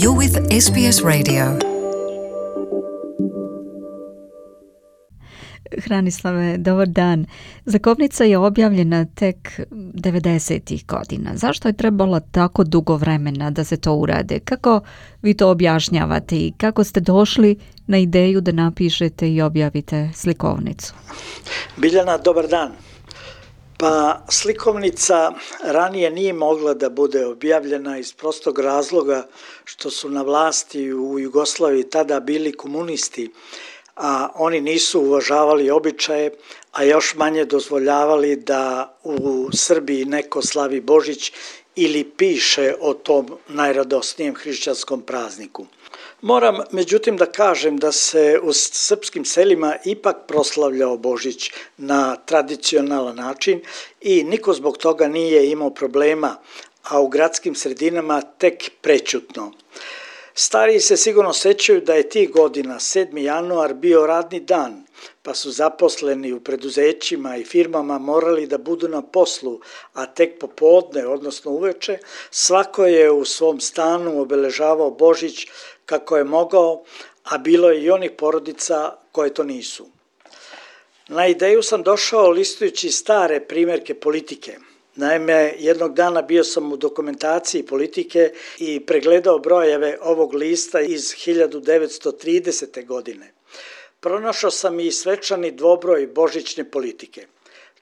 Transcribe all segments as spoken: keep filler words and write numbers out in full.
You're with S B S Radio. Hranislave, dobar dan. Znakovnica je objavljena tek devedesetih godina. Zašto je trebalo tako dugo vremena da se to urade? Kako vi to objašnjavate i kako ste došli na ideju da napišete i objavite slikovnicu? Biljana, dobar dan. Pa slikovnica ranije nije mogla da bude objavljena iz prostog razloga što su na vlasti u Jugoslaviji tada bili komunisti, a oni nisu uvažavali običaje, a još manje dozvoljavali da u Srbiji neko slavi Božić ili piše o tom najradosnijem hrišćanskom prazniku. Moram međutim da kažem da se u srpskim selima ipak proslavljao Božić na tradicionalan način i niko zbog toga nije imao problema, a u gradskim sredinama tek prećutno. Stariji se sigurno sećaju da je tih godina sedmi januar bio radni dan, pa su zaposleni u preduzećima i firmama morali da budu na poslu, a tek popodne, odnosno uveče, svako je u svom stanu obeležavao Božić kako je mogao, a bilo je i onih porodica koje to nisu. Na ideju sam došao listujući stare primjerke politike. Naime, jednog dana bio sam u dokumentaciji politike i pregledao brojeve ovog lista iz hiljadu devetsto tridesete. godine. Pronašao sam i svečani dvobroj božićne politike.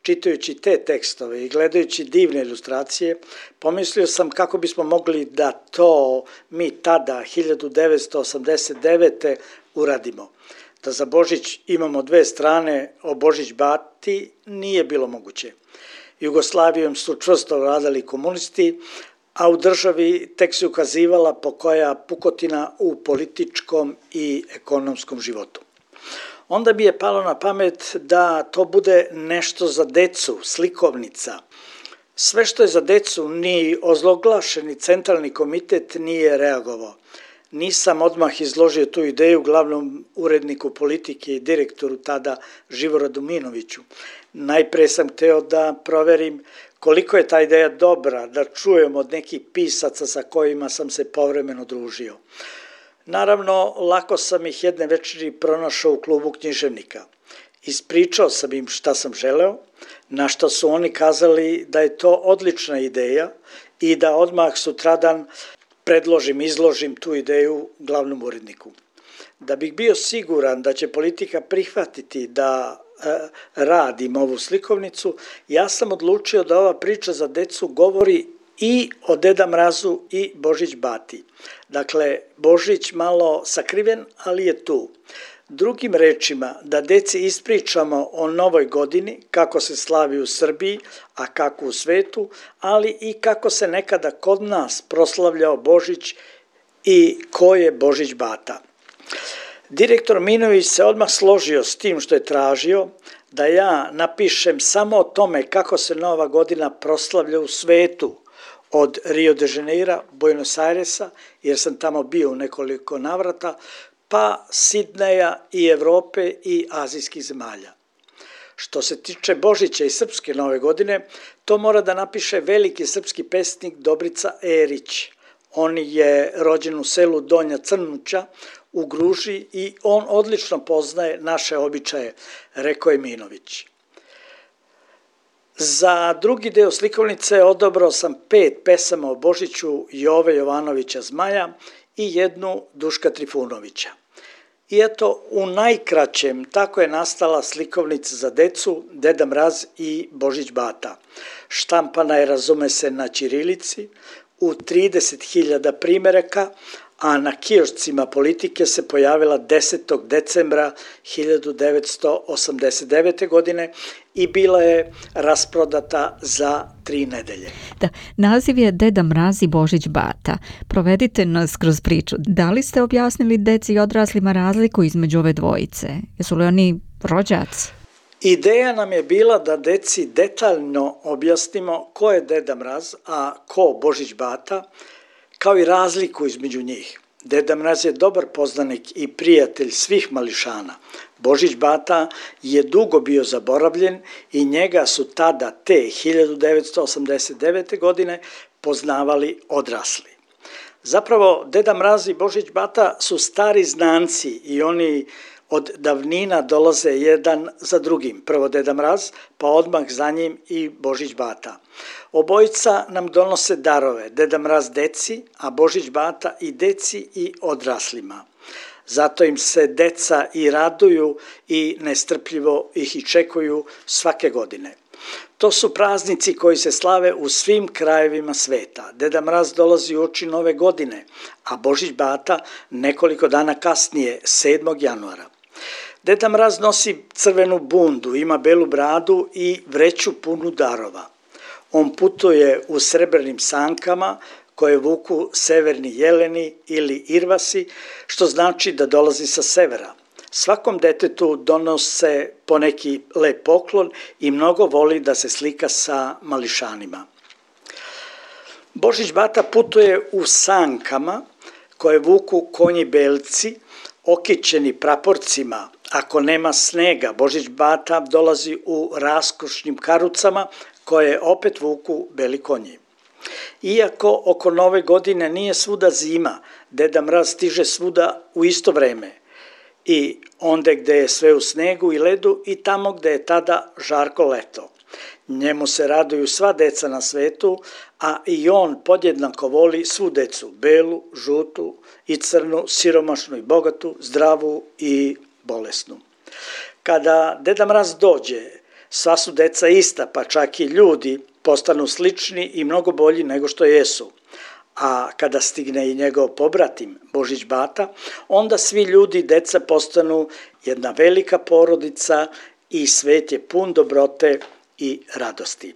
Čitajući te tekstove i gledajući divne ilustracije, pomislio sam kako bismo mogli da to mi tada, hiljadu devetsto osamdeset devete. uradimo. Da za Božić imamo dve strane, o Božić bati nije bilo moguće. Jugoslavijom su čvrsto vladali komunisti, a u državi tek se ukazivala pokoja pukotina u političkom i ekonomskom životu. Onda bi je palo na pamet da to bude nešto za decu, slikovnica. Sve što je za decu, ni ozloglašeni centralni komitet nije reagovao. Nisam odmah izložio tu ideju glavnom uredniku politike i direktoru tada Živoradu Minoviću. Najpre sam hteo da proverim koliko je ta ideja dobra, da čujem od nekih pisaca sa kojima sam se povremeno družio. Naravno, lako sam ih jedne večeri pronašao u klubu književnika. Ispričao sam im šta sam želeo, na što su oni kazali da je to odlična ideja i da odmah sutradan predložim, izložim tu ideju glavnom uredniku. Da bih bio siguran da će politika prihvatiti da e, radim ovu slikovnicu, ja sam odlučio da ova priča za decu govori i o Deda Mrazu i Božić bati. Dakle, Božić malo sakriven, ali je tu. Drugim rečima, da deci ispričamo o novoj godini, kako se slavi u Srbiji, a kako u svetu, ali i kako se nekada kod nas proslavljao Božić i ko je Božić bata. Direktor Minović se odmah složio s tim što je tražio, da ja napišem samo o tome kako se nova godina proslavlja u svetu, od Rio de Janeira, Buenos Airesa, jer sam tamo bio u nekoliko navrata, pa Sidneja i Evrope i azijskih zemalja. Što se tiče Božića i srpske nove godine, to mora da napiše veliki srpski pesnik Dobrica Erić. On je rođen u selu Donja Crnuća u Gruži i on odlično poznaje naše običaje, rekao je Minović. Za drugi deo slikovnice odabrao sam pet pesama o Božiću Jove Jovanovića Zmaja i jednu Duška Trifunovića. I eto, u najkraćem tako je nastala slikovnica za decu Deda Mraz i Božić bata. Štampana je, razume se, na ćirilici, u trideset hiljada primeraka, a na kiošcima politike se pojavila desetog decembra hiljadu devetsto osamdeset devete. godine i bila je rasprodata za tri nedelje. Da, naziv je Deda Mraz i Božić bata. Provedite nas kroz priču. Da li ste objasnili deci i odraslima razliku između ove dvojice? Jesu li oni rođaci? Ideja nam je bila da deci detaljno objasnimo ko je Deda Mraz, a ko Božić bata, kao i razliku između njih. Deda Mraz je dobar poznanik i prijatelj svih mališana. Božić bata je dugo bio zaboravljen i njega su tada te hiljadu devetsto osamdeset devete. godine poznavali odrasli. Zapravo, Deda Mraz i Božić Bata su stari znanci i oni od davnina dolaze jedan za drugim. Prvo Deda Mraz, pa odmah za njim i Božić Bata. Obojica nam donose darove, Deda Mraz deci, a Božić Bata i deci i odraslima. Zato im se deca i raduju i nestrpljivo ih i čekuju svake godine. To su praznici koji se slave u svim krajevima sveta. Deda Mraz dolazi uoči nove godine, a Božić Bata nekoliko dana kasnije, sedmog januara. Deda Mraz nosi crvenu bundu, ima belu bradu i vreću punu darova. On putuje u srebrnim sankama koje vuku severni jeleni ili irvasi, što znači da dolazi sa severa. Svakom detetu donose poneki lep poklon i mnogo voli da se slika sa mališanima. Božić Bata putuje u sankama koje vuku konji belci, okićeni praporcima. Ako nema snega, Božić Bata dolazi u raskošnim karucama koje opet vuku beli konji. Iako oko nove godine nije svuda zima, Deda Mraz stiže svuda u isto vreme. I onde gde je sve u snegu i ledu i tamo gde je tada žarko leto. Njemu se raduju sva deca na svetu, a i on podjednako voli svu decu, belu, žutu i crnu, siromašnu i bogatu, zdravu i bolesnu. Kada Deda Mraz dođe, sva su deca ista, pa čak i ljudi postanu slični i mnogo bolji nego što jesu. A kada stigne i njegov pobratim, Božić Bata, onda svi ljudi i deca postanu jedna velika porodica i svet je pun dobrote i radosti.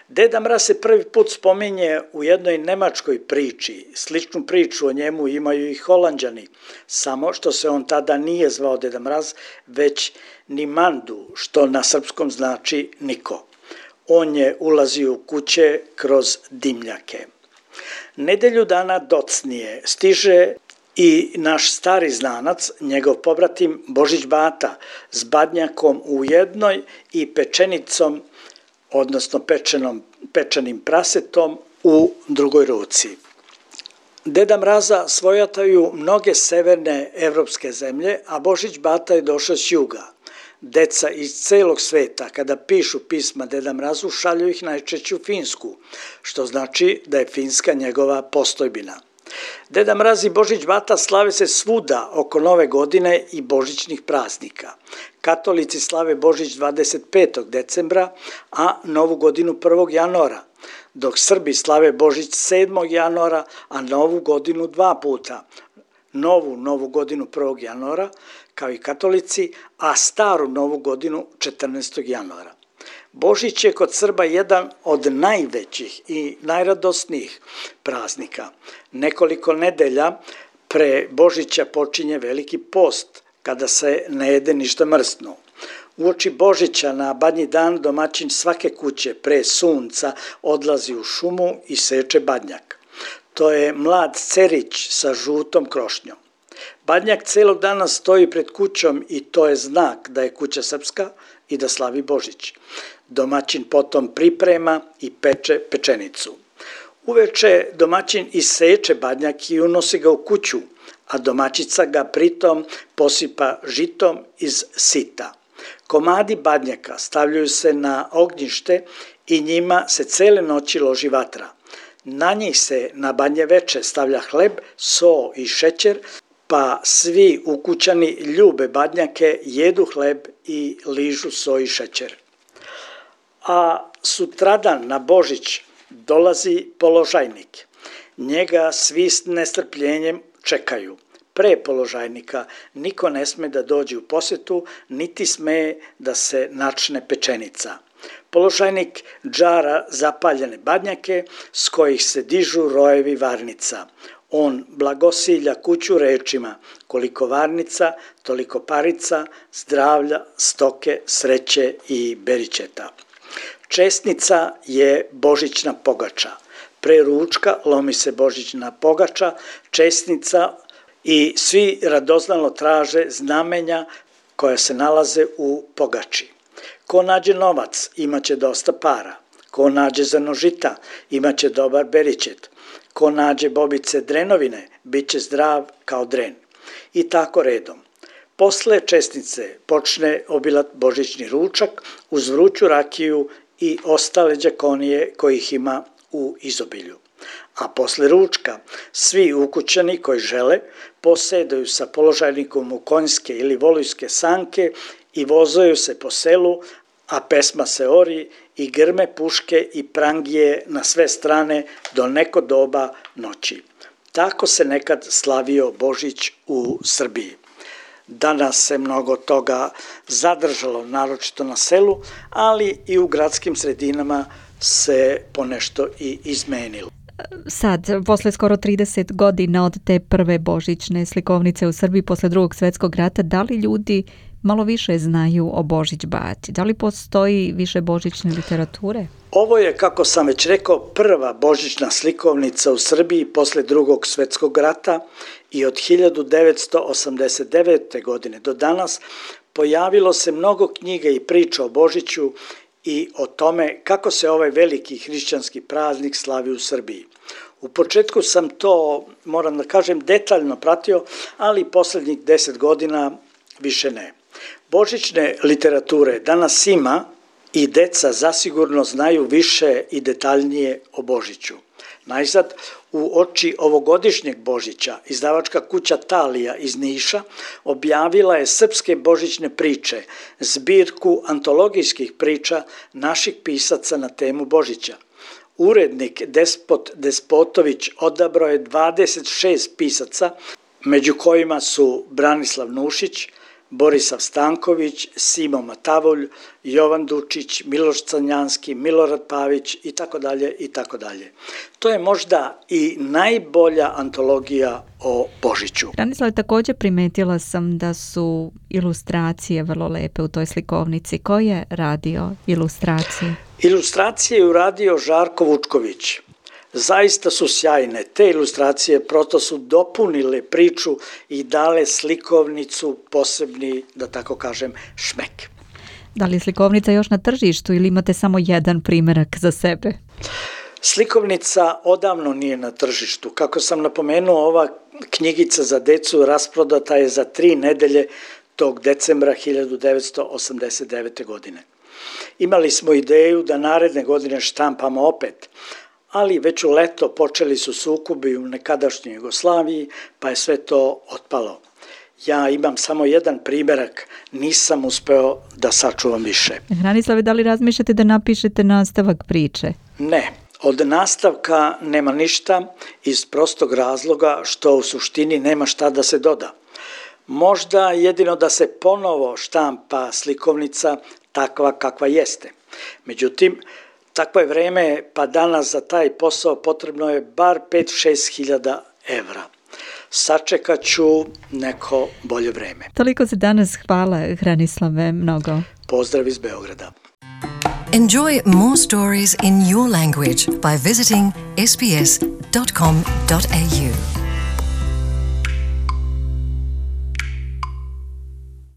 Deda Mraz se prvi put spominje u jednoj nemačkoj priči. Sličnu priču o njemu imaju i Holanđani, samo što se on tada nije zvao Deda Mraz, već Nimandu, što na srpskom znači niko. On je ulazio u kuće kroz dimljake. Nedelju dana docnije stiže i naš stari znanac, njegov pobratim Božić Bata, s badnjakom u jednoj i pečenicom, odnosno pečenom, pečenim prasetom u drugoj ruci. Deda Mraza svojataju mnoge severne evropske zemlje, a Božić Bata je došao s juga. Deca iz celog sveta, kada pišu pisma Deda Mrazu, šalju ih najčešće u Finsku, što znači da je Finska njegova postojbina. Deda Mraz i Božić Bata slave se svuda oko nove godine i božićnih praznika. Katolici slave Božić dvadeset petog decembra, a Novu godinu prvog januara, dok Srbi slave Božić sedmog januara, a Novu godinu dva puta. Novu Novu godinu prvog januara, kao i katolici, a staru Novu godinu četrnaestog januara. Božić je kod Srba jedan od najvećih i najradosnijih praznika. Nekoliko nedelja pre Božića počinje Veliki post, kada se ne jede ništa mrsno. Uoči Božića na badnji dan domaćin svake kuće pre sunca odlazi u šumu i seče badnjak. To je mlad cerić sa žutom krošnjom. Badnjak celog dana stoji pred kućom i to je znak da je kuća srpska i da slavi Božić. Domaćin potom priprema i peče pečenicu. Uveče domaćin iseče badnjak i unosi ga u kuću, a domaćica ga pritom posipa žitom iz sita. Komadi badnjaka stavljaju se na ognjište i njima se cele noći loži vatra. Na njih se na badnje veče stavlja hleb, so i šećer, pa svi ukućani ljube badnjake, jedu hleb i ližu so i šećer. A sutradan na Božić dolazi položajnik. Njega svi s nestrpljenjem čekaju. Pre položajnika niko ne sme da dođe u posetu, niti sme da se načne pečenica. Položajnik džara zapaljene badnjake s kojih se dižu rojevi varnica. On blagosilja kuću rečima: koliko varnica, toliko parica, zdravlja, stoke, sreće i beričeta. Česnica je božićna pogača. Pre ručka lomi se božićna pogača, česnica i svi radoznalo traže znamenja koja se nalaze u pogači. Ko nađe novac, imaće dosta para. Ko nađe zrno žita, imaće dobar beričet. ko nađe bobice drenovine, bit će zdrav kao dren. I tako redom. Posle česnice počne obilat božićni ručak uz vruću rakiju i ostale đakonije kojih ima u izobilju. A posle ručka svi ukućani koji žele posedaju sa položajnikom u konjske ili volujske sanke i vozaju se po selu, a pesma se ori i grme puške i prangije na sve strane do neko doba noći. Tako se nekad slavio Božić u Srbiji. Danas se mnogo toga zadržalo, naročito na selu, ali i u gradskim sredinama se ponešto i izmenilo. Sad, posle skoro trideset godina od te prve božićne slikovnice u Srbiji posle drugog svjetskog rata, da li ljudi malo više znaju o Božić bati? Da li postoji više božićne literature? Ovo je, kako sam već rekao, prva božićna slikovnica u Srbiji posle drugog svjetskog rata i od hiljadu devetsto osamdeset devete. godine do danas pojavilo se mnogo knjiga i priča o Božiću i o tome kako se ovaj veliki hrišćanski praznik slavi u Srbiji. U početku sam to, moram da kažem, detaljno pratio, ali poslednjih deset godina više ne. Božićne literature danas ima i deca zasigurno znaju više i detaljnije o Božiću. Najzad, u oči ovogodišnjeg Božića, izdavačka kuća Talija iz Niša objavila je srpske božićne priče, zbirku antologijskih priča naših pisaca na temu Božića. Urednik Despot Despotović odabrao je dvadeset šest pisaca, među kojima su Branislav Nušić, Borisav Stanković, Simo Matavulj, Jovan Dučić, Miloš Crnjanski, Milorad Pavić i tako dalje i tako dalje. To je možda i najbolja antologija o Božiću. Branislav, također primetila sam da su ilustracije vrlo lepe u toj slikovnici. Ko je radio ilustracije? Ilustracije je uradio Žarko Vučković. Zaista su sjajne. Te ilustracije prosto su dopunile priču i dale slikovnicu posebni, da tako kažem, šmek. Da li je slikovnica još na tržištu ili imate samo jedan primjerak za sebe? Slikovnica odavno nije na tržištu. Kako sam napomenuo, ova knjigica za decu rasprodata je za tri nedelje tog decembra hiljadu devetsto osamdeset devete. godine. Imali smo ideju da naredne godine štampamo opet, ali već u leto počeli su sukobi u nekadašnjoj Jugoslaviji, pa je sve to otpalo. Ja imam samo jedan primjerak, nisam uspeo da sačuvam više. Branislave, da li razmišljate da napišete nastavak priče? Ne, od nastavka nema ništa iz prostog razloga što u suštini nema šta da se doda. Možda jedino da se ponovo štampa slikovnica takva kakva jeste. Međutim, takvo je vreme, pa danas za taj posao potrebno je bar pet do šest hiljada evra. Sačekat ću neko bolje vreme. Toliko se danas, hvala Branislave mnogo. Pozdrav iz Beograda. Enjoy more stories in your language by visiting s b s dot com dot a u.